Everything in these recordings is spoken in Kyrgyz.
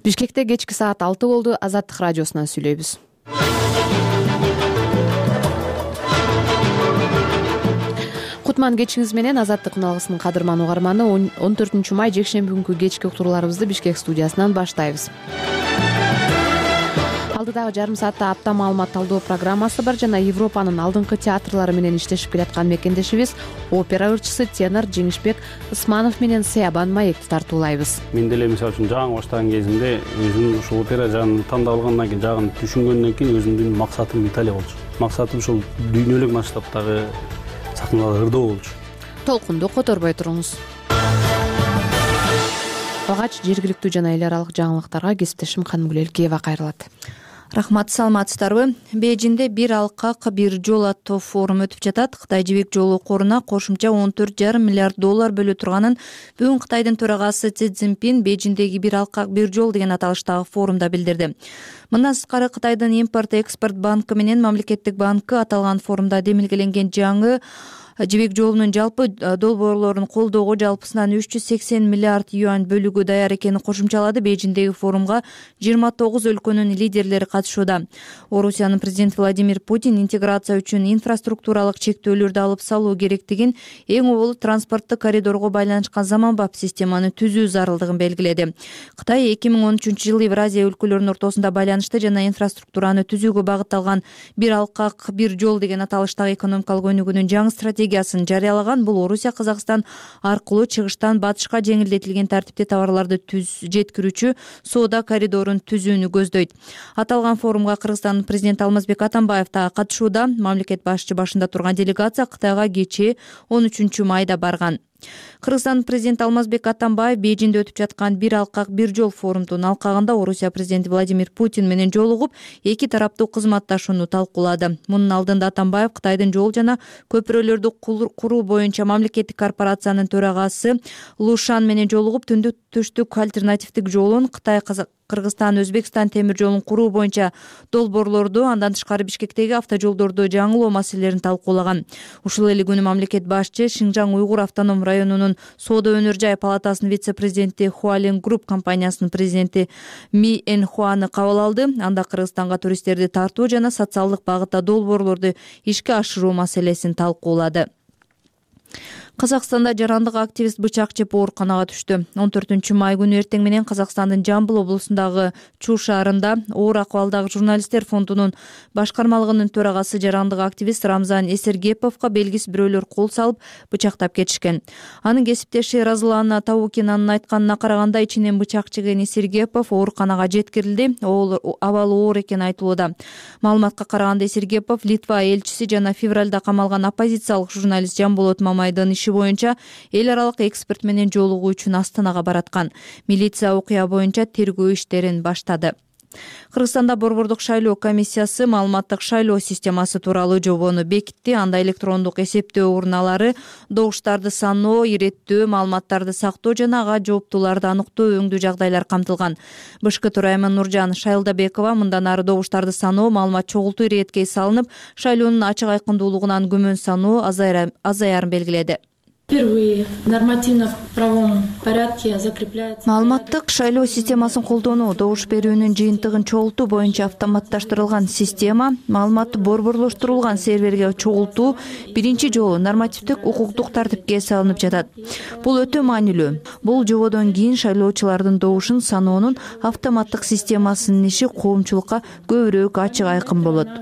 Бишкекте кечки саат 6 болду. Азаттык радиосунан сүйлөйбүз. Кутман кечиңиз менен. Азаттык үналгысынын кадырман угарманы, 14 май жекшемби күнкү кечки уктурууларыбызды Бишкек студиясынан баштайбыз. Алдыдагы жарым саатта апта маалымат талдоо программасы бар жана Европанын алдыңкы театрлары менен иштешип келаткан мекендешибиз опера ырчысы тенор Жеңишбек Ысманов менен Сыябан маекти тартуулайбыз. Мен деле мисалы үчүн жаңы баштаган кезимде өзүм ушул опера жагын тандап алгандан кийин, жагын түшүнгөндөн кийин өзүмдүн максатым Италия болчу. Максатым ушул дүйнөлүк масштабтагы сахналарда ырдоо болчу. Толкунду которбой туруңуз. Алгач жергиликтүү жана эл аралык жаңылыктарга кесиптешим Канымгүл Элкеева кайрылат. Рахмат, саламатсыздарбы? Бейжиңде бир алкак бир жол аттуу форум өтүп жатат. Кытай жибек жолу коруна кошумча $14,5 миллиард бөлө турганын бүгүн Кытайдын төрагасы Си Цзиньпин Бейжиңдеги бир алкак бир жол деген аталыштагы форумда билдирди. Мындан сырткары Кытайдын импорт-экспорт банкы менен мамлекеттик банкы аталган форумда демилгеленген жаңы жибек жолунун жалпы долбоорлорун колдоого жалпысынан 380 миллиард юань бөлүүгө даяр экенин кошумчалады. Бейжиңдеги форумга 29 өлкөнүн лидерлери катышууда. Орусиянын президенти Владимир Путин интеграция үчүн инфраструктуралык чектөөлөрдү алып салуу керектигин, эң оболу транспорттук коридорго байланышкан заманбап системаны түзүү зарылдыгын белгиледи. Кытай 2013 жылы Евразия өлкөлөрүнүн ортосунда байланышты жана инфраструктураны түзүүгө багытталган бир алкак бир жол деген аталыштагы экономикалык өнүгүүнүн жаңы стратегиясын жарыялаган. Бул Орусия Казакстан аркылуу чыгыштан батышка жеңилдетилген тартипте товарларды жеткирүүчү соода коридорун түзүүнү көздөйт. Аталган форумга Кыргызстандын президенти Алмазбек Атамбаев да катышууда. Мамлекет башчы башында турган делегация Кытайга кечээ 13 майда барган. Кыргызстандын президенти Алмазбек Атамбаев Бейжиңде өтүп жаткан бир алкак бир жол форумдун алкагында Орусия президенти Владимир Путин менен жолугуп, эки тараптуу кызматташууну талкуулады. Мунун алдында Атамбаев Кытайдын жол жана көпүрөлөрдү куруу боюнча мамлекеттик корпорациянын төрагасы Лу Шан менен жолугуп, түндүк түштүк альтернативдик жолун, Кытай Кыргызстан Өзбекстан темир жолун куруу боюнча долбоорлорду, андан тышкары Бишкектеги автожолдорду жаңылоо маселелерин талкуулаган. Ушул эле күнү мамлекет башчы Шинжаң Уйгур автоном районунун соода өнөр жай палатасынын вице-президенти Хуалин Групп компаниясынын президенти Ми Энхуаны кабыл алды. Анда Кыргызстанга туристтерди тартуу жана социалдык багытта долбоорлорду ишке ашыруу маселесин талкуулады. Казакстанда жарандык активист бычак жеп ооруканага түштү. 14 май күнү эртең менен Казакстандын Жамбыл облусундагы Чу шаарында оор акыбалдагы журналисттер фондунун башкармалыгынын төрагасы жарандык активист Рамзан Эсергеповго белгисиз бирөөлөр кол салып бычактап кетишкен. Анын кесиптеши Разылана Таукинанын айтканына караганда, ичинен бычак жеген Эсергепов ооруканага жеткирилди. Абалы оор экени айтылууда. Маалыматка караганда Эсергепов Литва элчиси жана февралда камалган оппозициялык журналист Жамболот Мамайдын боюнча эл аралык эксперт менен жолугуу үчүн Астанага бараткан. Милиция окуя боюнча тергөө иштерин баштады. Кыргызстанда борбордук шайлоо комиссиясы маалыматтык шайлоо системасы тууралуу жобону бекитти. Анда электрондук эсептөө урналары, добуштарды саноо, иреттөө, маалыматтарды сактоо жана ага жооптууларды аныктоо өңдүү жагдайлар камтылган. БШК төрайымы Нуржан Шайлдабекова мындан ары добуштарды саноо, маалымат чогултуу иретке салынып, шайлоонун ачык айкындуулугунан күмөн саноо азаярын белгиледи. Впервые в нормативно-правовом порядке закрепляется. Маалыматтык шайлоо системасын колдонуу, добуш берүүнүн жыйынтыгын чогултуу боюнча автоматташтырылган система, маалыматты борборлоштурулган серверге чогултуу биринчи жолу нормативдик укуктук тартипке салынып жатат. Бул өтө маанилүү. Бул жободон кийин шайлоочулардын добушун саноонун автоматтык системасынын иши коомчулукка көбүрөөк ачык айкын болот.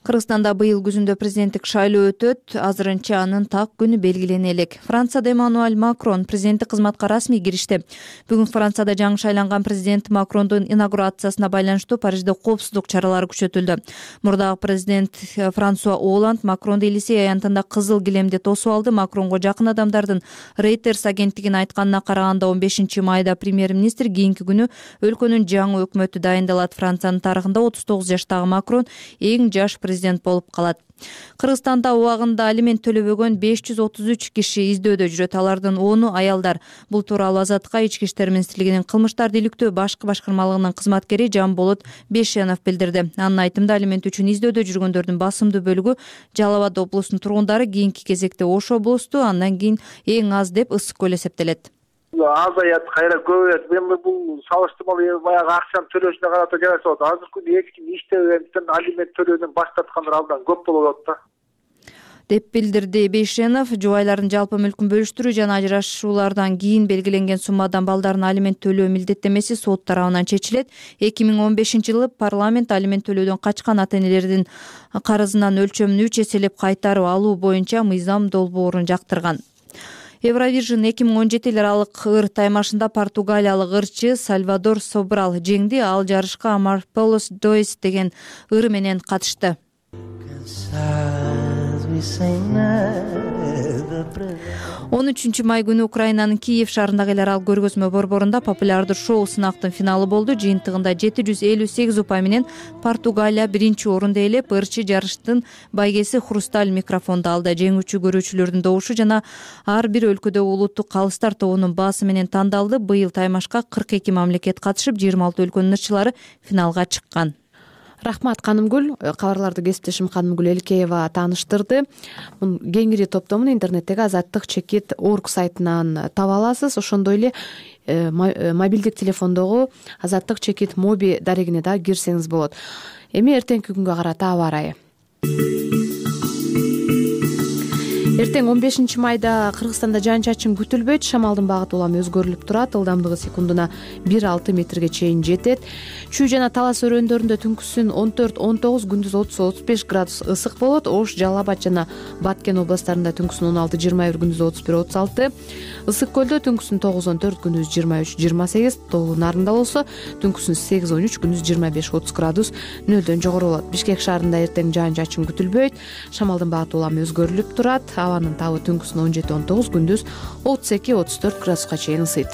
Кыргызстанда быйыл күзүндө президенттик шайлоо өтөт. Азырынча анын так күнү белгилене элек. Францияда Эммануэль Макрон президенттик кызматка расмий киришти. Бүгүн Францияда жаңы шайланган президент Макрондун инаугурациясына байланыштуу Парижде коопсуздук чаралары күчөтүлдү. Мурдагы президент Франсуа Оланд Макронду Елисей аянтында кызыл килемде тосуп алды. Макронго жакын адамдардын Reuters агенттигине айтканына караганда, 15 майда премьер-министр кийинки күнү өлкөнүн жаңы өкмөтү дайындалат. Франциянын тарыхында 39 жаштагы Макрон эң жаш президент болуп калат. Кыргызстанда убагында алимент төлөбөгөн 533 киши издөөдө жүрөт. Алардын 10-у аялдар. Бул тууралуу Азаттыкка Ички иштер министрлигинин кылмыштарды иликтөө башкы башкармалыгынын кызматкери Жамболот Бешенов билдирди. Анын айтымында, алимент үчүн издөөдө жүргөндөрдүн басымдуу бөлүгү Жалал Абад облусунун тургундары, кийинки кезекте Ош облусту, андан кийин эң аз деп Ысык көл эсептелет. азаят, кайра көбөйөт. Эми бул салыштырмалуу баягы акчаны төлөшүнө карата жараша болот. Азыркы күндө эч ким иштебегендиктен алимент төлөөдөн баш тарткандар абдан көп болуп атат да, деп билдирди Бейшенов. Жубайлардын жалпы мүлкүн бөлүштүрүү жана ажырашуулардан кийин белгиленген суммадан балдарына алимент төлөө милдеттемеси сот тарабынан чечилет. 2015-жылы парламент алимент төлөөдөн качкан ата-энелердин карызынын өлчөмүн 3 эселеп кайтарып алуу боюнча мыйзам долбоорун жактырган. Евровижн 2017 аралык ыр таймашында португалиялык ырчы Сальвадор Собрал жеңди. Ал жарышка Амарполос Доис деген ыры менен катышты. 13 май күнү Украинанын Киев шаарындагы эл аралык көргөзмө борборунда популярдуу шоу сынактын финалы болду. Жыйынтыгында 758 упай менен Португалия биринчи орунду ээлеп, ырчы жарыштын байгеси хрусталь микрофонду алды. Жеңүүчү көрүүчүлөрдүн добушу жана ар бир өлкөдө улуттук калыстар тобунун баасы менен тандалды. Быйыл таймашка 42 мамлекет катышып, 26 өлкөнүн ырчылары финалга чыккан. Рахмат Канымгүл. Кабарларды кесиптешим Канымгүл Элкеева тааныштырды. Кеңири топтомун интернеттеги azattik.org сайтынан таба аласыз. Ошондой эле мобилдик телефондогу azattik.mobi дарегине да кирсеңиз болот. Эми эртеңки күнгө карата аба ырайы. Эртең 15 майда Кыргызстанда жаан-чачын күтүлбөйт. Шамалдын багыты улам өзгөрүлүп турат. Ылдамдыгы секундуна 1-6 метрге чейин жетет. Чүй жана Талас өрөөндөрүндө түнкүсүн 14-19, күндүз 30-35 градус ысык болот. Ош, Жалал Абад жана Баткен областарында түнкүсүн 16-21, күндүз 31-36. Ысык көлдө түнкүсүн 9-14, күндүз 23-28. Тоолуу Нарында болсо түнкүсүн 8-13, күндүз 25-30 градус нөлдөн жогору болот. Бишкек шаарында эртең жаан-чачын күтүлбөйт. Шамалдын багыты улам өзгөрүлүп турат. Абанын табы түнкүсүн 17-19, күндүз 32-34 градуска чейин ысыйт.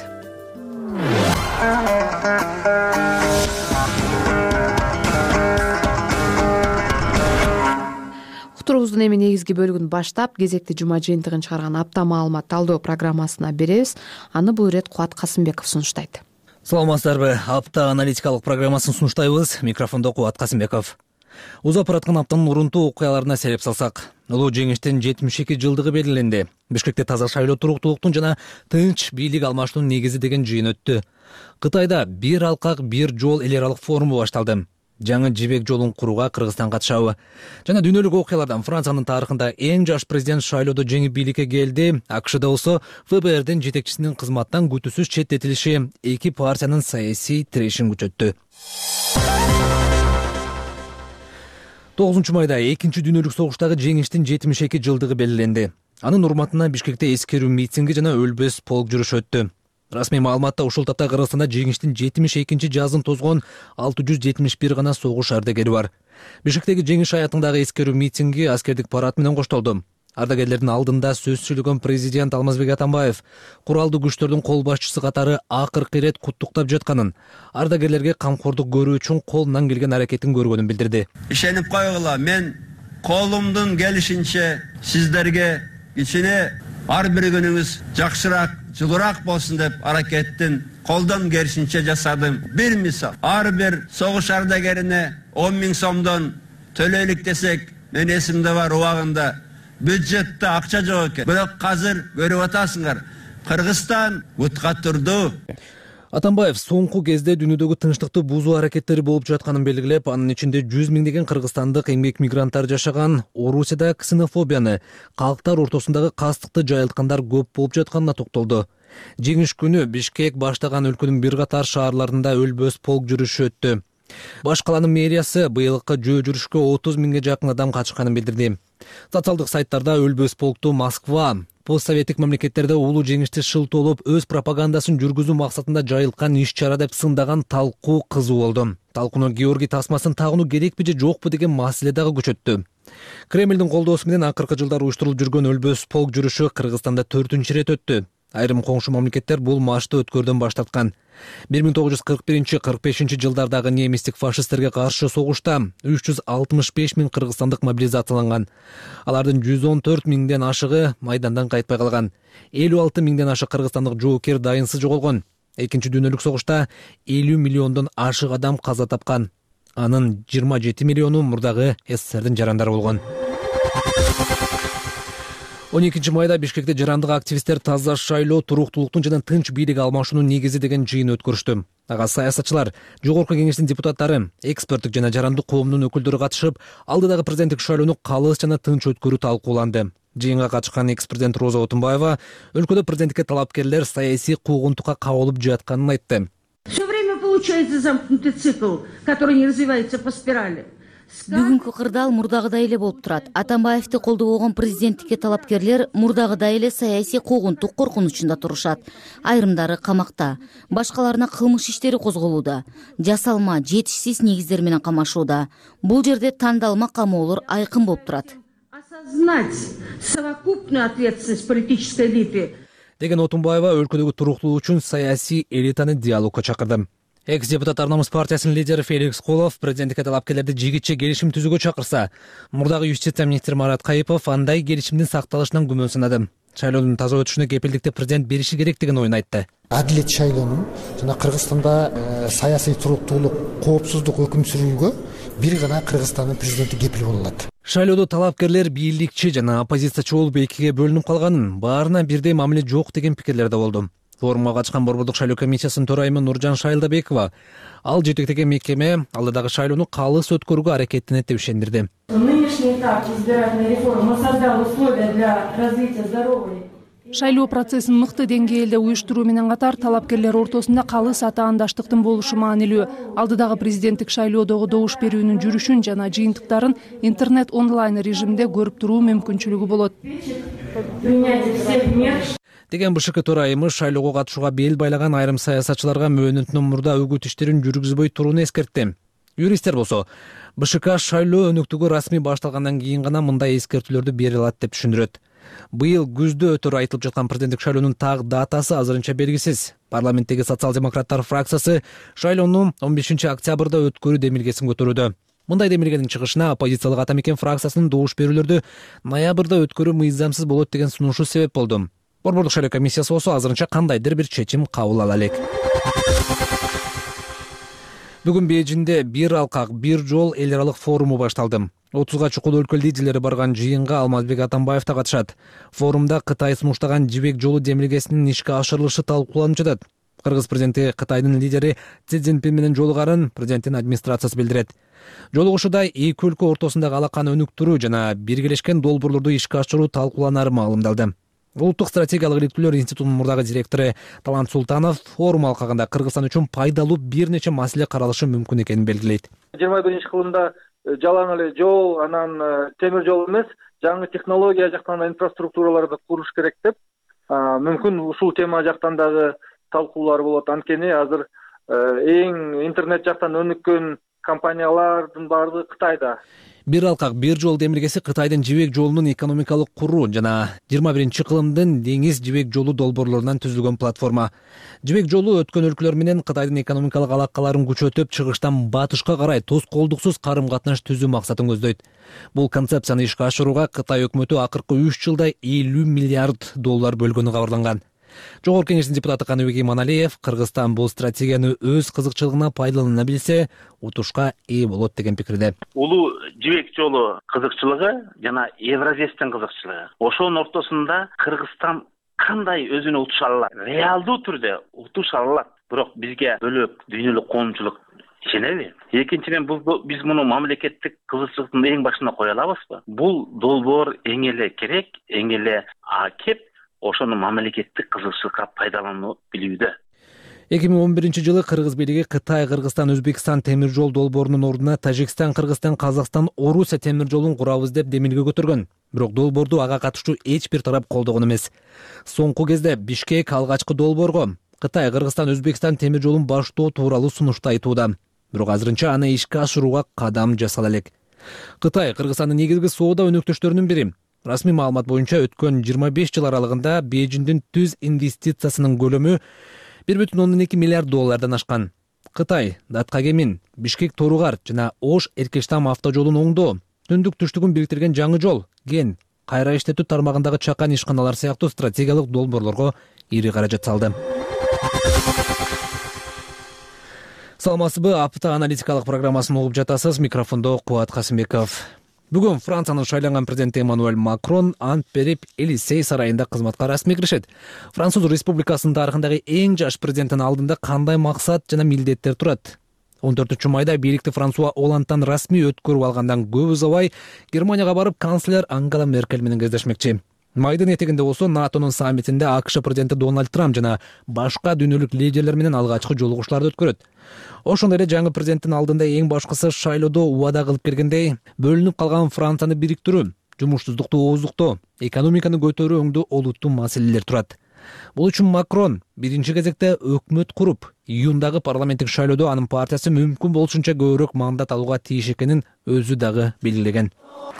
Уктуруубуздун эми негизги бөлүгүн баштап, кезекти жума жыйынтыгын чыгарган апта маалымат талдоо программасына беребиз. Аны бул ирет Кубат Касымбеков сунуштайт. Саламатсыздарбы? Апта аналитикалык программасын сунуштайбыз. Микрофондо Кубат Касымбеков. Узап бараткан аптанын урунтуу окуяларына сереп салсак, улуу жеңиштин 72 жылдыгы белгиленди. Бишкекте таза шайлоо, туруктуулуктун жана тынч бийлик алмаштын негизи деген жыйын өттү. Кытайда бир алкак, бир жол эл аралык форуму башталды. Жаңы жибек жолун курууга Кыргызстан катышабы? Жана дүйнөлүк окуялардан Франциянын тарыхында эң жаш президент шайлоодо жеңип бийликке келди. АКШда болсо ФБРдин жетекчисинин кызматтан күтүүсүз четтетилиши эки партиянын саясий тирешин күчөттү. 9 майда экинчи дүйнөлүк согуштагы жеңиштин 72 жылдыгы белгиленди. Анын урматына Бишкекте эскерүү митинги жана өлбөс полк жүрүшү өттү. Расмий маалыматта ушул тапта Кыргызстанда жеңиштин 72 жазын тозгон 671 гана согуш ардагери бар. Бишкектеги жеңиш аятындагы эскерүү митинги аскердик парад менен коштолду. Ардагерлердин алдында сөз сүйлөгөн президент Алмазбек Атамбаев куралдуу күчтөрдүн кол башчысы катары акыркы ирет куттуктап жатканын, ардагерлерге камкордук көрүү үчүн колунан келген аракетин көргөнүн билдирди. Ишенип койгула, мен колумдун келишинче сиздерге кичине ар бир күнүңүз жакшыраак, жылуураак болсун деп аракеттин колдон келишинче жасадым. Бир мисал, ар бир согуш ардагерине 10 000 сомдон төлөйлүк десек, мен эсимде бар, убагында бюджетте акча жок экен. Бирок азыр көрүп атасыңар, Кыргызстан бутка турду. Атамбаев соңку кезде дүйнөдөгү тынчтыкты бузуу аракеттери болуп жатканын белгилеп, анын ичинде 100 миңдеген кыргызстандык эмгек мигранттар жашаган Орусияда ксенофобияны, калктар ортосундагы кастыкты жайылткандар көп болуп жатканына токтолду. Жеңиш күнү Бишкек баштаган өлкөнүн бир катар шаарларында өлбөс полк жүрүшү өттү. Баш каланын мэриясы быйылкы жөө жүрүшкө 30 миңге жакын адам катышканын билдирди. Социалдык сайттарда өлбөс полкту Москва, постсоветтик мамлекеттерде улуу жеңишти шылтоолоп өз пропагандасын жүргүзүү максатында жайылткан иш-чара деп сындаган талкуу кызуу болду. Талкууну Георгий тасмасын тагынуу керекпи же жокпу деген маселе дагы күчөттү. Кремлдин колдоосу менен акыркы жылдары уюштурулуп жүргөн өлбөс полк жүрүшү Кыргызстанда 4-чү ирет өттү. Айрым коңшу мамлекеттер бул машты өткөрдөн баш тарткан. 1941-45 жылдардагы немистик фашисттерге каршы согушта 365 миң кыргызстандык мобилизацияланган. Алардын 114 миңден ашыгы майдандан кайтпай калган. 56 миңден ашык кыргызстандык жоокер дайынсыз жоголгон. Экинчи дүйнөлүк согушта 50 миллиондон ашык адам каза тапкан. Анын 27 миллиону мурдагы СССРдин жарандары болгон. 12 майда Бишкекте жарандык активисттер таза шайлоо, туруктуулуктун жана тынч бийлик алмашуунун негизи деген жыйын өткөрүштү. Ага саясатчылар, жогорку кеңештин депутаттары, эксперттик жана жарандык коомдун өкүлдөрү катышып, алдыдагы президенттик шайлоону калыс жана тынч өткөрүү талкууланды. Жыйынга катышкан экс-президент Роза Отунбаева өлкөдө президенттикке талапкерлер саясий куугунтукка кабылып жатканын айтты. Все время получается замкнутый цикл, который не развивается по спирали. Бүгүнкү кырдаал мурдагыдай эле болуп турат. Атамбаевди колдобогон президенттикке талапкерлер мурдагыдай эле саясий куугунтук коркунучунда турушат. Айрымдары камакта, башкаларына кылмыш иштери козголууда, жасалма, жетишсиз негиздер менен камашууда. Бул жерде тандалма камоолор айкын болуп турат. Осознать совокупную ответственность политической элиты. Деген Отунбаева өлкөдөгү туруктуулук үчүн саясий элитаны диалогко чакырды. Экс-депутат Арнамыз партиясынын лидери Феликс Колов президенттикке талапкерлерди жигитче келишим түзүүгө чакырса, мурдагы юстиция министри Марат Кайыпов андай келишимдин сакталышынан күмөн санады. Шайлоонун таза өтүшүнө кепилдикти президент бериши керек деген оюн айтты. Адилет шайлоонун жана Кыргызстанда саясий туруктуулук, коопсуздук өкүм сүрүүгө бир гана Кыргызстандын президенти кепил боло алат. Шайлоодо талапкерлер бийликчи жана оппозициячы болуп экиге бөлүнүп калганын, баарына бирдей мамиле жок деген пикирлер да болду. Форумга катышкан Борбордук шайлоо комиссиясынын төрайымы Нуржан Шайлдабекова ал жетектеген мекеме алдыдагы шайлоону калыс өткөрүүгө аракеттенет деп ишендирди. Нынешний этап избирательной реформы создал условия для развития здоровой. Шайлоо процессин мыкты деңгээлде уюштуруу менен катар талапкерлер ортосунда калыс атаандаштыктын болушу маанилүү. Алдыдагы президенттик шайлоодогу добуш берүүнүн жүрүшүн жана жыйынтыктарын интернет онлайн режимде көрүп туруу мүмкүнчүлүгү болот. Деген БШК төрайымы шайлоого катышууга бел байлаган айрым саясатчыларга мөөнөтүнөн мурда үгүт иштерин жүргүзбөй турууну эскертти. Юристтер болсо, БШК шайлоо өнөктүгү расмий башталгандан кийин гана мындай эскертүүлөрдү бере алат деп түшүндүрөт. Быйыл күздө өтөр айтылып жаткан президенттик шайлоонун так датасы азырынча белгисиз. Парламенттеги социал-демократтар фракциясы шайлоону 15 октябрда өткөрүү демилгесин көтөрүүдө. Мындай демилгенин чыгышына оппозициялык Ата Мекен фракциясынын добуш берүүлөрдү ноябрда өткөрүү мыйзамсыз болот деген сунушу себеп болду. Борбордук шайлоо комиссиясы болсо азырынча кандайдыр бир чечим кабыл ала элек. Бүгүн Бейжиңде бир алкак, бир жол эл аралык форуму башталды. 30га чукул өлкө лидерлери барган жыйынга Алмазбек Атамбаев да катышат. Форумда Кытай сунуштаган жибек жолу демилгесинин ишке ашырылышы талкууланып жатат. Кыргыз президенти Кытайдын лидери Си Цзиньпин менен жолугарын президенттин администрациясы билдирет. Жолугушууда эки өлкө ортосундагы алаканы өнүктүрүү жана биргелешкен долбоорлорду ишке ашыруу талкууланары маалымдалды. Улуттук стратегиялык иликтүүлөр институтунун мурдагы директору Талант Султанов форум алкагында Кыргызстан үчүн пайдалуу бир нече маселе каралышы мүмкүн экенин белгилейт. 21-кылымда жалаң эле жол, анан темир жол эмес, жаңы технология жактан инфраструктураларды куруш керек деп, мүмкүн ушул тема жактан дагы талкуулар болот. Анткени азыр эң интернет жактан өнүккөн компаниялардын баардыгы Кытайда. Бир алкак, бир жол демилгеси Кытайдын жибек жолунун экономикалык куруу жана 21-кылымдын деңиз жибек жолу долбоорлорунан түзүлгөн платформа. Жибек жолу өткөн өлкөлөр менен Кытайдын экономикалык алакаларын күчөтүп, чыгыштан батышка карай тоскоолдуксуз карым-катнаш түзүү максатын көздөйт. Бул концепцияны ишке ашырууга Кытай өкмөтү акыркы 3 жылда 50 миллиард доллар бөлгөнү кабарланган. Жогорку кеңештин депутаты Каныбек Иманалиев Кыргызстан бул стратегияны өз кызыкчылыгына пайдалана билсе, утушка ээ болот деген пикирде. Улуу жибек жолу кызыкчылыгы жана Евразиядын кызыкчылыгы. Ошонун ортосунда Кыргызстан кандай өзүнө утуша алат? Реалдуу түрдө утуша алат. Бирок бизге бөлөк дүйнөлүк коомчулук ишенеби? Экинчиден биз муну мамлекеттик кызыкчылыктын эң башына кое алабызбы? Бул долбоор эң эле керек, эң эле кеп ошону мамлекеттик кызыкчылыкка пайдалануу билүүдө. 2011-жылы Кыргыз бийлиги Кытай, Кыргызстан, Өзбекстан темир жол долбоорунун ордуна Тажикстан, Кыргызстан, Казакстан, Орусия темир жолун курабыз деп демилге көтөргөн. Бирок долбоорду ага катышуу эч бир тарап колдогон эмес. Соңку кезде Бишкек алгачкы долбоорго Кытай, Кыргызстан, Өзбекстан темир жолун баштоо тууралуу сунушту айтууда. Бирок азырынча аны ишке ашырууга кадам жасала элек. Кытай Кыргызстандын негизги соода өнөктөштөрүнүн бири. Расмий маалымат боюнча өткөн 25 жыл аралыгында Бейжиңдин түз инвестициясынын көлөмү 1,2 миллиард доллардан ашкан. Кытай Даткагемин, Бишкек Торугар жана Ош Эркештам автожолун оңдоо, түндүк түштүгүн бириктирген жаңы жол, ген, кайра иштетүү тармагындагы чакан ишканалар сыяктуу стратегиялык долбоорлорго ири каражат салды. Саламатсызбы, апта аналитикалык программасын угуп жатасыз. Микрофондо Кубат Касымбеков. Бүгүн Франциянын шайланган президенти Эммануэль Макрон ант берип Элисей сарайында кызматка расмий киришет. Француз Республикасынын тарыхындагы эң жаш президенттин алдында кандай максат жана милдеттер турат? 14-майда бийликти Франсуа Олландтан расмий өткөрүп алгандан көп узабай Германияга барып канцлер Ангела Меркель менен кездешмекчи. Майдын этегинде болсо НАТОнун саммитинде АКШ президенти Дональд Трамп жана башка дүйнөлүк лидерлер менен алгачкы жолугушууларды өткөрөт. Ошондой эле жаңы президенттин алдында эң башкысы шайлоодо убада кылып келгендей, бөлүнүп калган Францияны бириктирүү, жумушсуздукту ооздуктоо, экономиканы көтөрүү өңдүү олуттуу маселелер турат. Бул үчүн Макрон биринчи кезекте өкмөт куруп, июндагы парламенттик шайлоодо анын партиясы мүмкүн болушунча көбүрөөк мандат алууга тийиш экенин өзү дагы белгилеген.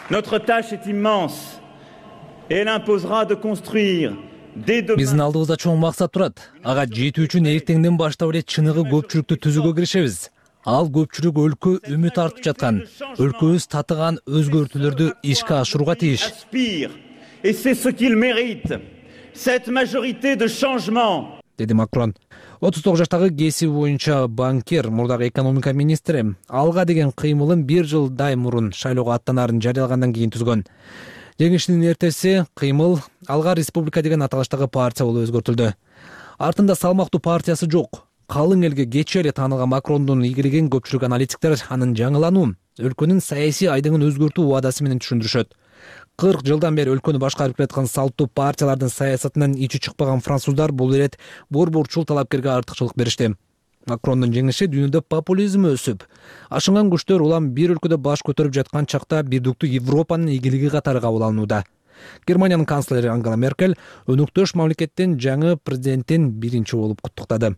Notre tâche est immense. Elle imposera de construire Биздин алдыбызда чоң максат турат. Ага жетүү үчүн эртеңден баштап эле чыныгы көпчүлүктү түзүүгө киришебиз. Ал көпчүлүк өлкө үмүт артып жаткан, өлкөбүз татыган өзгөртүүлөрдү ишке ашырууга тийиш. Et c'est ce qu'il mérite. Cette majorité de changement. Деди Макрон. 39 жаштагы кесиби боюнча банкир, мурдагы экономика министри алга деген кыймылын 1 жылдай мурун шайлоого аттанаарын жарыялагандан кийин түзгөн. Жеңиштин эртеси кыймыл Алга Республика деген аталыштагы партия болуп өзгөртүлдү. Артында салмактуу партиясы жок. Калың элге кечээ эле таанылган Макрондун ийгилигин көпчүлүк аналитиктер анын жаңылануу, өлкөнүн саясий айдыңын өзгөртүү убадасы менен түшүндүрүшөт. 40 жылдан бери өлкөнү башкарып келаткан салттуу партиялардын саясатынан ичи чыкпаган француздар бул ирет борборчул талапкерге артыкчылык беришти. Макрондун жеңиши дүйнөдө популизм өсүп, ашынган күчтөр улам бир өлкөдө баш көтөрүп жаткан чакта бирдиктүү Европанын ийгилиги катары кабыл алынууда. Германиянын канцлери Ангела Меркель өнөктөш мамлекеттин жаңы президентин биринчи болуп куттуктады.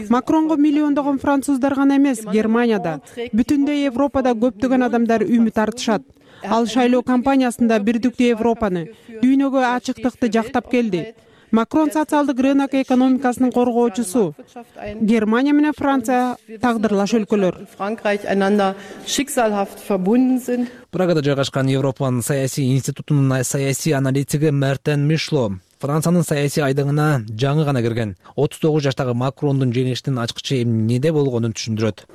Макронго миллиондогон француздар гана эмес, Германияда, бүтүндөй Европада көптөгөн адамдар үмүт артышат. Ал шайлоо кампаниясында бирдиктүү Европаны, дүйнөгө ачыктыкты жактап келди. Макрон социалдык рынок экономикасынын коргоочусу. Германия менен Франция тагдырлаш өлкөлөр. Прагада жайгашкан Европанын саясий институтунун саясий аналитиги Мертен Мишло Франциянын саясий айдыңына жаңы гана кирген 39 жаштагы Макрондун жеңишинин ачкычы эмнеде болгонун түшүндүрөт.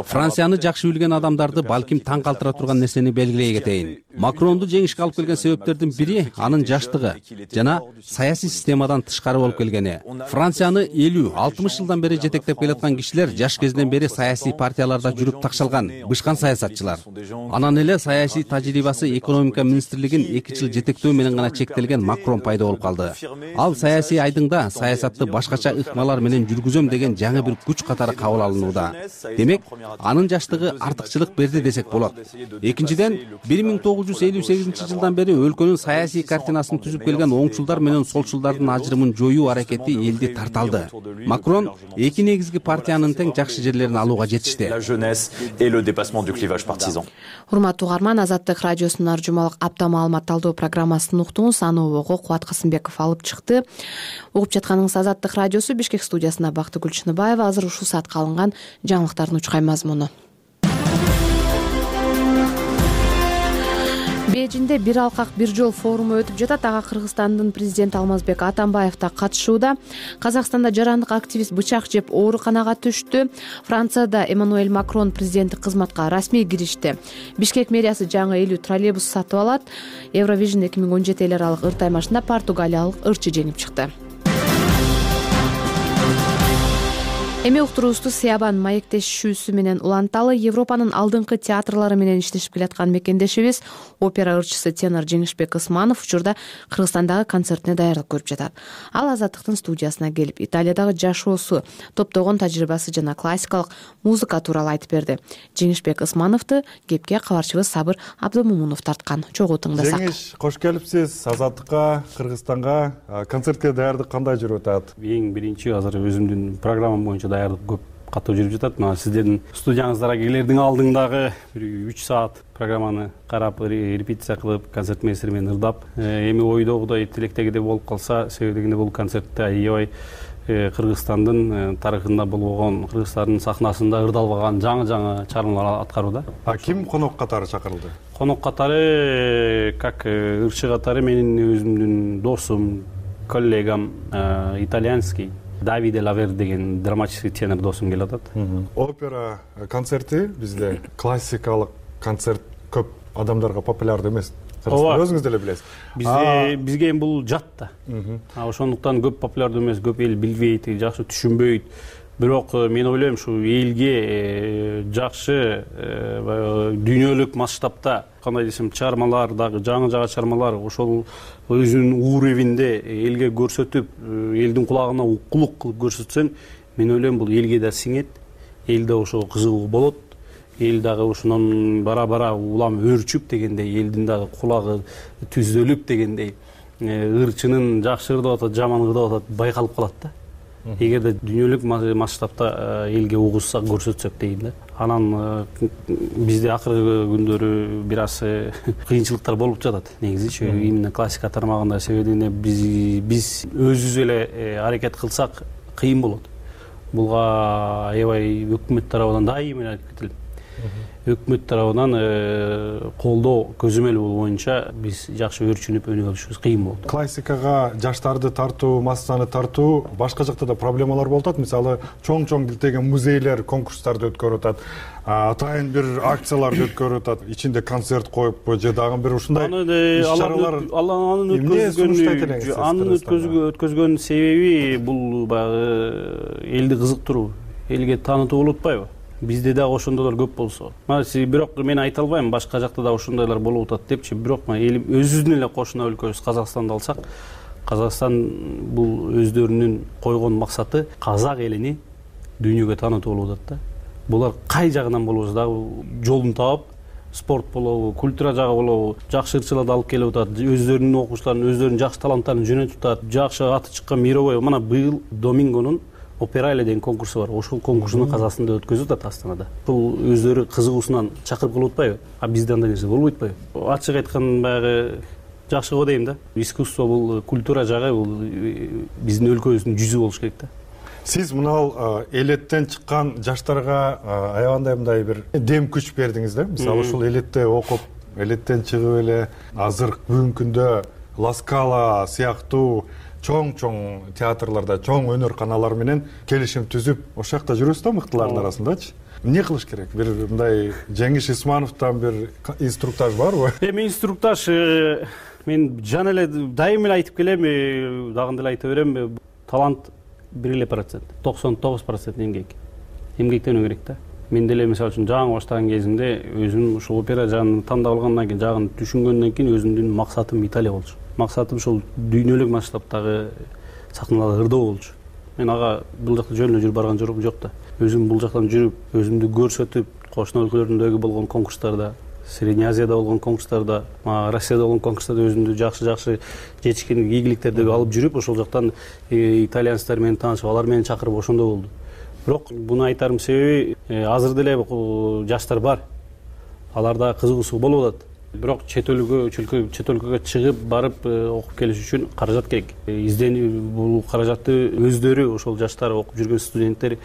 Францияны жакшы билген адамдарды балким таң калтыра турган нерсени белгилей кетейин. Макронду жеңишке алып келген себептердин бири анын жаштыгы жана саясий системадан тышкары болуп келгени. Францияны 50-60 жылдан бери жетектеп келаткан кишилер жаш кезинен бери саясий партияларда жүрүп такшалган, бышкан саясатчылар. Анан эле саясий тажрыйбасы экономика министрлигин 2 жыл жетектөө менен гана чектелген Макрон пайда болуп калды. Ал саясий айдыңда саясатты башкача ыкмалар менен жүргүзөм деген жаңы бир күч катары кабыл алынууда. Демек, анын жаштыгы артыкчылык берди десек болот. Экинчиден, 1958 жылдан бери өлкөнүн саясий картинасын түзүп келген оңчулдар менен солчулдардын ажырымын жоюу аракети элди тарталды. Макрон эки негизги партиянын тең жакшы жерлерин алууга жетишти. Урматтуу угарман, Азаттык радиосунун ар жумалык апта маалымат талдоо программасын уктуңуз. Аны обого Кубат Касымбеков алып чыкты. Угуп жатканыңыз Азаттык радиосу. Бишкек студиясында Бактыгүл Чыныбаева. Азыр ушул саатка алынган жаңылыктардын учкай мазмуну. Бейжинде бир алкак бир жол форуму өтүп жатат. Ага Кыргызстандын президенти Алмазбек Атамбаев да катышууда. Казакстанда жарандык активист бычак жеп ооруканага түштү. Францияда Эммануэль Макрон президенттик кызматка расмий киришти. Бишкек мэриясы жаңы 50 троллейбус сатып алат. Евровижн 2017 эл аралык ыр таймашында португалиялык ырчы жеңип чыкты. Эми уктуруубузду Сыябан маектешүүсү менен уланталы. Европанын алдыңкы театрлары менен иштешип келаткан мекендешибиз опера ырчысы тенор Жеңишбек Ысманов учурда Кыргызстандагы концертине даярдык көрүп жатат. Ал Азаттыктын студиясына келип, Италиядагы жашоосу, топтогон тажрыйбасы жана классикалык музыка тууралуу айтып берди. Жеңишбек Ысмановду кепке кабарчыбыз Сабыр Абдымомунов тарткан. Чогуу тыңдасак. Жеңиш, кош келипсиз Азаттыкка, Кыргызстанга. Концертке даярдык кандай жүрүп атат? Эң биринчи азыр өзүмдүн программам боюнча даярдык көп катуу жүрүп жатат. Мына сиздердин студияңыздарга келердин алдыңдагы 3 саат программаны карап, репетиция кылып, концерт мессери менен ырдап, эми ойдогудой, тилектегидей болуп калса, себебегинде бул концертте аябай Кыргызстандын тарыхында болгон, Кыргызстандын сахнасында ырдалбаган жаңы чыгармалар аткарууда. Ким конок катары чакырылды? Конок катары, как ырчы катары менин өзүмдүн досум, коллегам итальянский Давиде Лавер деген драматический тенор досум келип атат. Опера концерти бизде классикалык концерт көп адамдарга популярдуу эмес. Ооба, өзүңүз деле билесиз. Бизге эми бул жат да. Ошондуктан көп популярдуу эмес, көп эл билбейт, жакшы түшүнбөйт. Бирок мен ойлойм ушу элге жакшы дүйнөлүк масштабта кандай десем чыгармалар, дагы жаңы чыгармалар ошол өзүнүн уровенде элге көрсөтүп, элдин кулагына укулук кылып көрсөтсөң, мен ойлойм бул элге да сиңет, эл да ошого кызыгуу болот. Эл дагы ошондон бара улам өөрчүп дегендей, элдин дагы кулагы түздөлүп дегендей, ырчынын жакшы ырдап атат, жаман ырдап атат байкалып калат да. Эгерде дүйнөлүк масштабта элге угузсак, көрсөтсөк дейм да. Анан бизде акыркы күндөрү бир аз кыйынчылыктар болуп жатат негизичи, именно классика тармагында. Себеби биз өзүбүз эле аракет кылсак кыйын болот. Буга аябай өкмөт тарабынан дайыма айтып кетилет. Өкмөт тарабынан колдоо көзөмөл боюнча биз жакшы өөрчүнүп өнүгө алышыбыз кыйын болот. Классикага жаштарды тартуу, массаны тартуу башка жакта да проблемалар болуп атат. Мисалы, чоң килтеген музейлер конкурстарды өткөрүп атат, атайын бир акцияларды өткөрүп атат, ичинде концерт коюппу же дагы бир ушундай иш-чаралар. Анын өткөзгөн себеби бул баягы элди кызыктыруу, элге таанытуу болуп атпайбы? Бизде дагы ошондойлор көп болсо. Бирок мен айта албайм башка жакта да ошондойлор болуп атат депчи. Бирок өзүбүздүн эле кошуна өлкөбүз Казакстанды алсак, Казакстан бул өздөрүнүн койгон максаты казак элини дүйнөгө таанытуу болуп атат да. Булар кай жагынан болбосо дагы жолун таап, спорт болобу, культура жагы болобу, жакшы ырчыларды алып келип атат, өздөрүнүн окуучуларын, өздөрүнүн жакшы таланттарын жөнөтүп атат, жакшы аты чыккан мировой. Мына быйыл Домингонун Операйле деген конкурсу бар. Ошол конкурсуну Казакстанда өткөзүп атат, Астанада. Бул өздөрү кызыгуусунан чакырып кылып атпайбы? Бизде андай нерсе болбойт атпайбы? Ачык айткан баягы жакшы го дейм да. Искусство бул, культура жагы бул биздин өлкөбүздүн жүзү болуш керек да. Сиз мына элеттен чыккан жаштарга аябандай мындай бир дем күч бердиңиз да. Мисалы, ушул элетте окуп, элеттен чыгып эле азыр бүгүнкү күндө Ла Скала сыяктуу чоң театрларда, чоң өнөр каналары менен келишим түзүп, ошол жакта жүрөсүз да мыктылардын арасындачы. Эмне кылыш керек? Бир мындай Жеңиш Исмановдон бир инструктаж барбы? Эми инструктаж мен жана эле дайыма эле айтып келем, дагы деле айта берем, талант 1%, 99% эмгек. Эмгектенүү керек да. Мен деле мисалы үчүн жаңы баштаган кезимде өзүм ушул опера жагын тандап алгандан кийин, жагын түшүнгөндөн кийин өзүмдүн максатым Италия болчу. Максатым ушул дүйнөлүк масштабтагы сахналарда ырдоо болчу. Мен ага бул жакта жөн эле жүрүп барган жок да. Өзүм бул жактан жүрүп, өзүмдү көрсөтүп, кошуна өлкөлөрдөгү болгон конкурстарда, Средний Азияда болгон конкурстарда, Россияда болгон конкурстарда өзүмдү жакшы жетишкендик, ийгиликтерди алып жүрүп, ошол жактан итальянецтер менен таанышып, алар мени чакырып ошондой болду. Бирок буну айтарым себеби азыр деле жаштар бар. Аларда кызыгуусу болуп атат. Бирок чет өлкөгө чыгып барып окуп келиш үчүн каражат керек. Бул каражатты өздөрү, ошол жаштар окуп жүргөн студенттер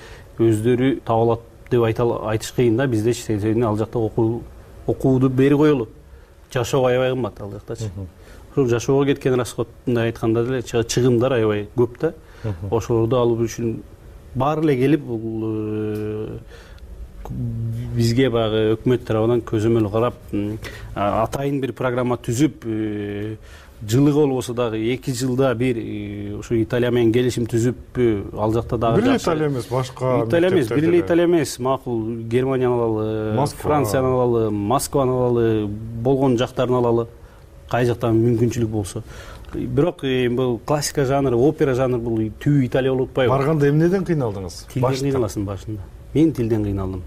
өздөрү таап алат деп айтыш кыйын да. Биздечи себеби ал жакта окууду бери коелу. Жашоо аябай кымбат ал жактачы. Ошол жашоого кеткен расходундай айтканда деле чыгымдар аябай көп да. Ошолорду алуу үчүн баары эле келип, бул бизге баягы өкмөт тарабынан көзөмөл карап, атайын бир программа түзүп, жылыга болбосо дагы 2 жылда бир ушу Италия менен келишим түзүп, ал жакта дагы бир Италия эмес, башка бир эле Италия эмес, макул Германияны алалы, Францияны алалы, Москваны алалы, болгон жактарын алалы, кай жактан мүмкүнчүлүк болсо. Бирок бул классика жанры, опера жанры бул түбү Италия болуп атпайбы? Барганда эмнеден кыйналдыңыз? Тилден кыйналасың башында. Мен тилден кыйналдым.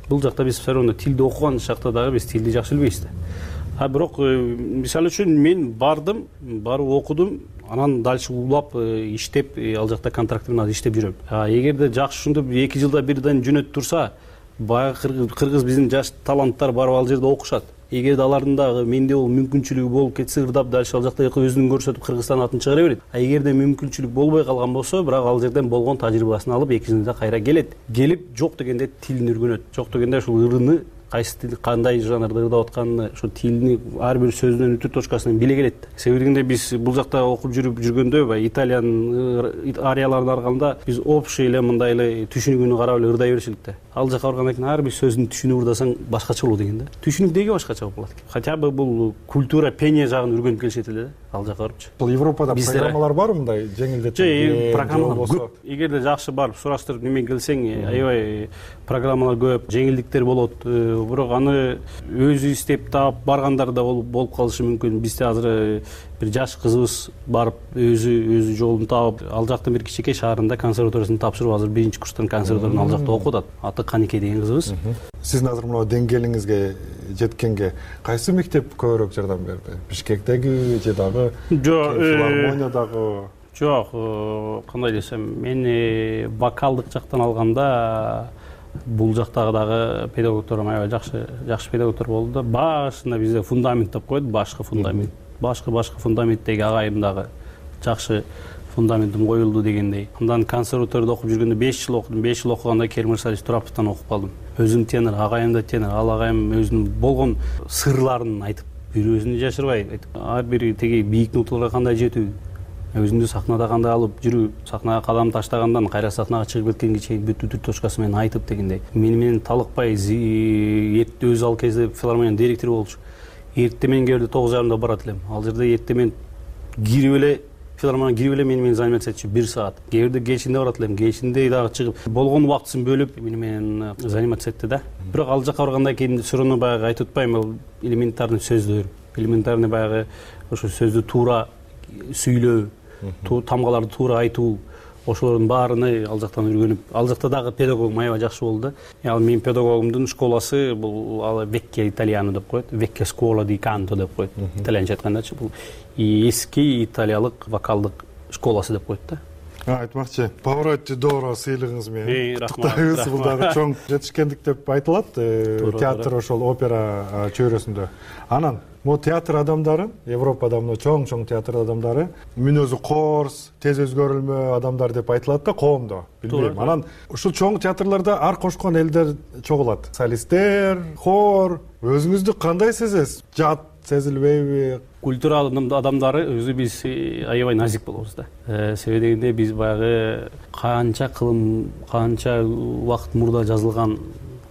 Бул жакта биз все равно тилди окуган шакта дагы биз тилди жакшы билбейбиз да. Бирок мисалы үчүн мен бардым, барып окудум, анан дальше улап иштеп, ал жакта контракт менен иштеп жүрөм. Эгерде жакшы ушинтип 2 жылда бирден жөнөтүп турса, баягы кыргыз биздин жаш таланттар барып ал жерде окушат. Эгерде алардын дагы менде бул мүмкүнчүлүгү болуп кетсе, ырдап дальше ал жакта өзүн көрсөтүп Кыргызстан атын чыгара берет. Эгерде мүмкүнчүлүк болбой калган болсо, бирок ал жерден болгон тажрыйбасын алып 2 жылда кайра келет. Келип жок дегенде тилин үйрөнөт. Жок дегенде ушул ырыны кайсы тил кандай жанрда ырдап атканын ошо тилни ар бир сөзүнүн үтүр точкасын биле келет. Себеби дегенде биз бул жакта окуп жүргөндө баягы итальян арияларын арканда биз общий эле мындай эле түшүнүгүнү карап эле ырдай беришелик да. Ал жака баргандан кийин ар бир сөздүн түшүнүгүн ырдасаң башкача болот экен да. Түшүнүк деги башкача болот экен. Хотя бы бул культура пение жагын үргөнүп келишет эле да. Ал жака барыпчы. Бул Европада программалар барбы мындай жеңилдетүү? Программалар көп. Эгерде жакшы барып сураштырып немен келсең, аябай программалар көп, жеңилдиктер болот. Бирок аны өзү издеп таап баргандар да болуп калышы мүмкүн. Бизде азыр бир жаш кызыбыз барып өзү жолун таап, ал жактын бир кичинекей шаарында консерваториясын тапшырып, азыр 1-курстан консерваторияны ал жакта окуп атат. Аты Канике деген кызыбыз. Сиздин азыр мына деңгээлиңизге жеткенге кайсы мектеп көбүрөөк жардам берди? Бишкектеги же дагы филармониядагы? Жок, кандай десем, мен вокалдык жактан алганда бул жактагы дагы педагогторум аябай жакшы педагогтор болду да. Башында бизде фундамент деп коет, башкы фундамент. Башкы агайым дагы жакшы фундаментим коюлду дегендей. Андан консерваторияда окуп жүргөндө 5 жыл окудум. 5 жыл окуганда Керим Ырсалович Тураповдон окуп калдым. Өзүм тенор, агайым да тенор. Ал агайым өзүнүн болгон сырларын айтып, бир өзүн жашырбай айтып, ар бири теги бийик ноталарга кандай жетүү, өзүңдү сахнада кандай алып жүрүү, сахнага кадам таштагандан кайра сахнага чыгып кеткенге чейин бүт үтүр точкасы менен айтып дегендей. Менен талыкпай өзү ал кезде филармониянын директору болчу. Эртемен келди 9:30 барат элем. Ал жерде эртемен кирип эле филармонияга кирип эле менен заниматься этчү 1 саат. Кээде кечинде барат элем, кечинде дагы чыгып болгон убактысын бөлүп менен заниматься этти да. Бирок ал жака баргандан кийин суроону баягы айтып атпаймынбы, ал элементарный сөздөр, элементарный баягы ошо сөздү туура сүйлөө, тамгаларды туура айтуу, ошолордун баарыны ал жактан үйрөнүп, ал жакта дагы педагогум аябай жакшы болду да. Ал менин педагогумдун школасы бул Vecchia Italiano деп коет, Vecchia Scuola di Canto деп коет. Итальянча айткандачы бул эски италиялык вокалдык школасы деп коет да. Айтмакчы, Pavarotti d'Oro сыйлыгыңыз менен куттуктайбыз. Бул дагы чоң жетишкендик деп айтылат театр ошол опера чөйрөсүндө. Анан могу театр адамдары, Европада мына чоң театр адамдары мүнөзү коорс, тез өзгөрүлмө адамдар деп айтылат да коомдо. Билбейм. Анан ушул чоң театрларда ар кошкон элдер чогулат. Солисттер, хор. Өзүңүздү кандай сезесиз? Жат сезилбейби? Культурал адамдары өзү биз аябай назик болобуз да. Себеби дегенде биз баягы канча убакыт мурда жазылган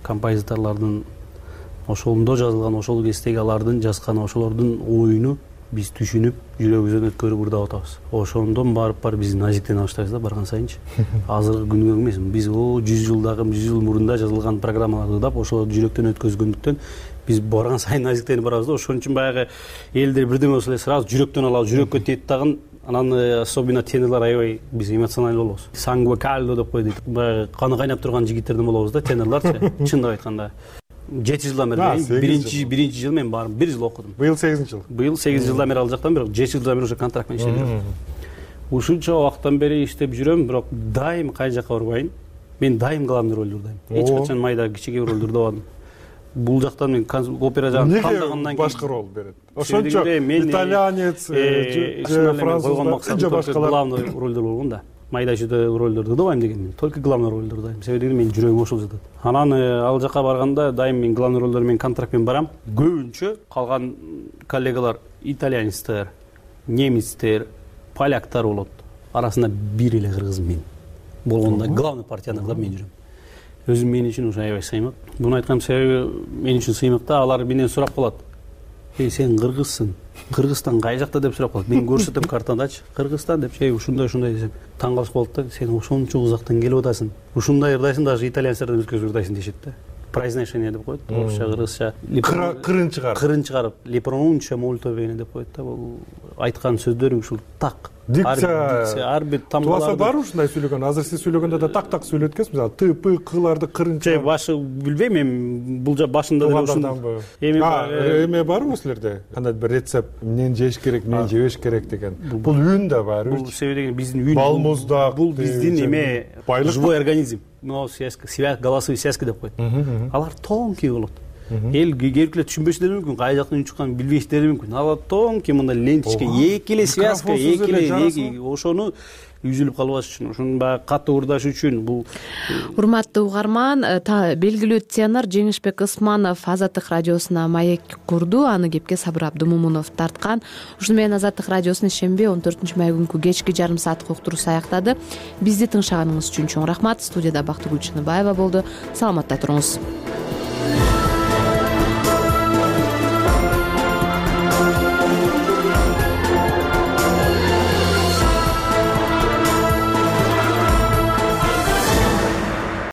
композиторлордун ошондо жазылган, ошол кездеги алардын жазган ошолордун оюну биз түшүнүп, жүрөгүбүздөн өткөрүп ырдап атабыз. Ошондон барып биз назиктене баштайбыз да барган сайынчы. Азыркы күнгө эмес, биз 100 жыл мурунда жазылган программаларды ырдап, ошолорду жүрөктөн өткөзгөндүктөн биз барган сайын назиктенип барабыз да. Ошон үчүн баягы элдер бирдеме болсо эле сразу жүрөктөн алабыз, жүрөккө тиет дагы. Анан особенно тенорлор аябай биз эмоционалдуу болобуз. Sangue caldo деп коет. Баягы каны кайнап турган жигиттерден болобуз да, тенорлорчу. Чындап айтканда 7 жылдан бери биринчи жыл мен барып 1 жыл окудум. Быйыл 8 жыл. Быйыл 8 жылдан бери ал жактан, бирок 7 жылдан бери уже контракт менен иштеп жүрөм. Ушунча убакыттан бери иштеп жүрөм, бирок дайым кай жака барбайын. Мен дайым главный ролду ырдайм. Эч качан майда кичине ролду ырдабадым. Бул жактан мен опера жагын тандагандан кийин башка рол берет. Ошончо итальянец, француз же башкалар главный ролдор болгон да. Майда чүйдө ролдорду ырдабайм деген, только главный ролду ырдайм. Себеби менин жүрөгүм ошол жатат. Анан ал жака барганда дайым мен главный ролдор менен контракт менен барам. Көбүнчө калган коллегалар итальянецтер, немецтер, поляктар болот. Арасында бир эле кыргыз мен болгондо главный партияны ырдап мен жүрөм. Өзүм мен үчүн ушу аябай сыймак. Буну айткан себеби мен үчүн сыймак да. Алар менден сурап калат. Сен кыргызсың. Кыргызстан кай жакта деп сурап калат. Мен көрсөтөм картадачы. Кыргызстан деп ушундай десем, таң калышып калат да. Сен ошончо узактан келип атасың. Ушундай ырдайсың, даже итальянецтерден өзгөчө ырдайсың дешет да. Произношение деп коет. Орусча, кыргызча. Кырын чыгарып. Ли pronuncio molto bene деп коет да. Бул айткан сөздөрүң ушул так. Дикция ар бир тамгаларды бар ушундай сүйлөгөн. Азыр сиз сүйлөгөндө да так сүйлөт экенсиз. Мисалы т, п, кыларды кырынча. Башы билбейм, эми бул башында деле ушундай. Эме барбы силерде? Кандай бир рецепт, эмнени жеш керек, эмнени жебеш керек деген. Бул үн да бар. Бул себеби деген биздин үн. Балмуздак. Бул биздин эме живой организм. Но связка, голосовые связки деп коет. Алар тонкий болот. эл кейбиркилер түшүнбөсүлөр мүмкүн, кай жактан үн чыкканын билбейсиздери мүмкүн. Ага тонкий мындай ленточка, эки эле связка, эки эле ошону үзүлүп калбаш үчүн, ошону баягы катуу ырдаш үчүн бул. Урматтуу угарман, белгилүү тенор Жеңишбек Ысманов Азаттык радиосуна маек курду, аны кепке Сабыр Абдымомунов тарткан. Ушуну менен Азаттык радиосунун шемби 14 май күнкү кечки жарым сааттык уктуруусу аяктады. Бизди тыңшаганыңыз үчүн чоң рахмат. Студияда Бактыгүл Чыныбаева болду. Саламатта туруңуз.